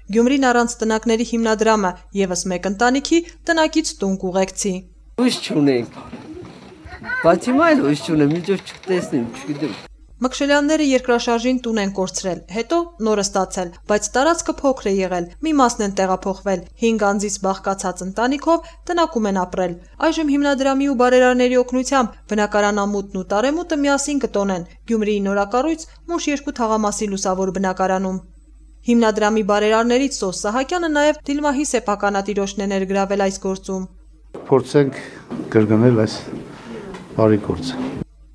Գյումրին առանց տնակների հիմնադրամը եւս մեկ ընտանիքի տնակից տուն կուղեկցի։ Ույս չունենք, բայց հիմա էլ ույս չունեմ, միջով չտեսնեմ, չգիտեմ։ Մկշելյանները երկրաշարժին տուն են կորցրել, հետո նորը ստացել, բայց տարածքը փոքր է եղել, մի մասն են տեղափոխվել, 5 անձից բաղկացած ընտանիքով տնակում են ապրել։ Այժմ հիմնադրամի ու բարերարների օգնությամբ բնակարանամուտն ու տարեմուտը միասին կտոնեն Գյումրիի նորակառույց Մուշ 2 թաղամասի լուսավոր բնակարանում։ Հիմնադրամի բարերարներից Սոս Սահակյանը նաև Դիլմահի սեփականատիրոջն է ներգրավել այս գործում։ Փորձենք կրկնել այս բարի գործը։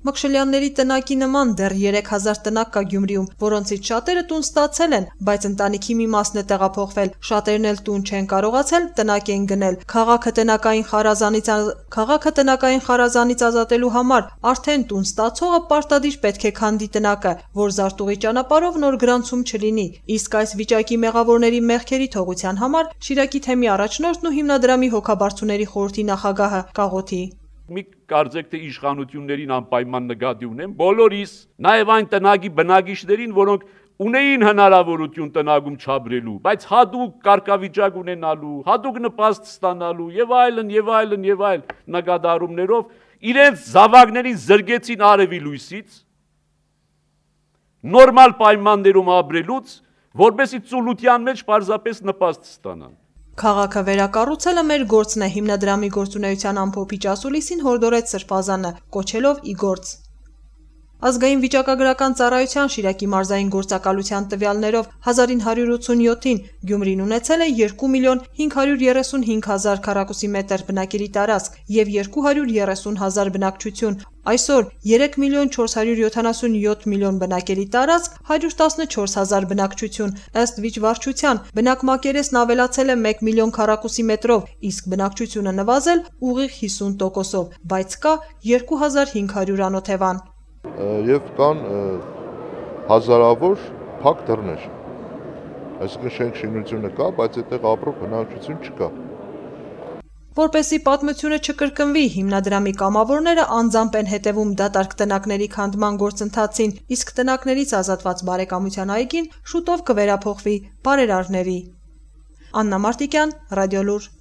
Մկշելյանների տնակի նման դեռ 3000 տնակ կա Գյումրիում, որոնցից շատերը տուն ստացել են, բայց ընտանիքի մի մասն է տեղափոխվել, շատերն էլ տուն չեն կարողացել, տնակ են գնել։ Քաղաքը տնակային խարազանից ազատելու համար արդեն տուն ստացողը պարտադիր պետք է քանդի տնակը, որ զարտուղի ճանապարհով նոր գրանցում չլինի։ Իսկ այս վիճակի մեղավորների մեղքերի թողության համար Շիրակի թեմի առաջնորդն ու հիմնադրամի հոգաբարձուների խորհրդի նախագահը Կաղոթի։ Մի կարծեք թե իշխանություններին անպայման նկատի ունեմ, բոլորիս, նաև այն տնագի բնակիչներին, որոնք ունեին հնարավորություն տնագում չաբրելու, բայց հատուկ կարգավիճակ ունենալու, հատուկ նպաստ ստանալու եւ այլն նկատառումներով իրենց զավակներին զրկեցին արևի լույսից, նորմալ պայմաններում ապրելուց, որպեսզի ծուլության մեջ պարզապես նպաստ ստանան։ Քաղաքը վերակառուցելը մեր գործն է, հիմնադրամի գործունեության ամփոփիչ ասուլիսին հորդորեց Սրբազանը, կոչելով ի գործ։ Ազգային վիճակագրական ծառայության Շիրակի մարզային գործակալության տվյալներով 1987-ին Գյումրին ունեցել է 2.535.000 քառակուսիմետր բնակելի տարածք եւ 230,000 բնակչություն։ Այսօր 3.477 բնակելի տարածք, 114,000 բնակչություն։ Ըստ վիճվարչության բնակմակերեսն ավելացել է 1 միլիոն քառակուսիմետրով, իսկ բնակչությունը նվազել ուղիղ 50%-ով, բայց կա 2500 անօթևան։ Եվ կան հազարավոր փակ դռներ, այսինքն շենք շինությունը կա, բայց այդտեղ ապրող բնակչություն չկա։ Որպեսզի պատմությունը չկրկնվի, հիմնադրամի կամավորները անձամբ են հետևում դատարկ տնակների քանդման գործընթացին, իսկ տնակներից ազատված բարեկամության այգին շուտով կվերափոխվի բարերարների։ Աննա Մարտիկյան, Ռադիոլուր։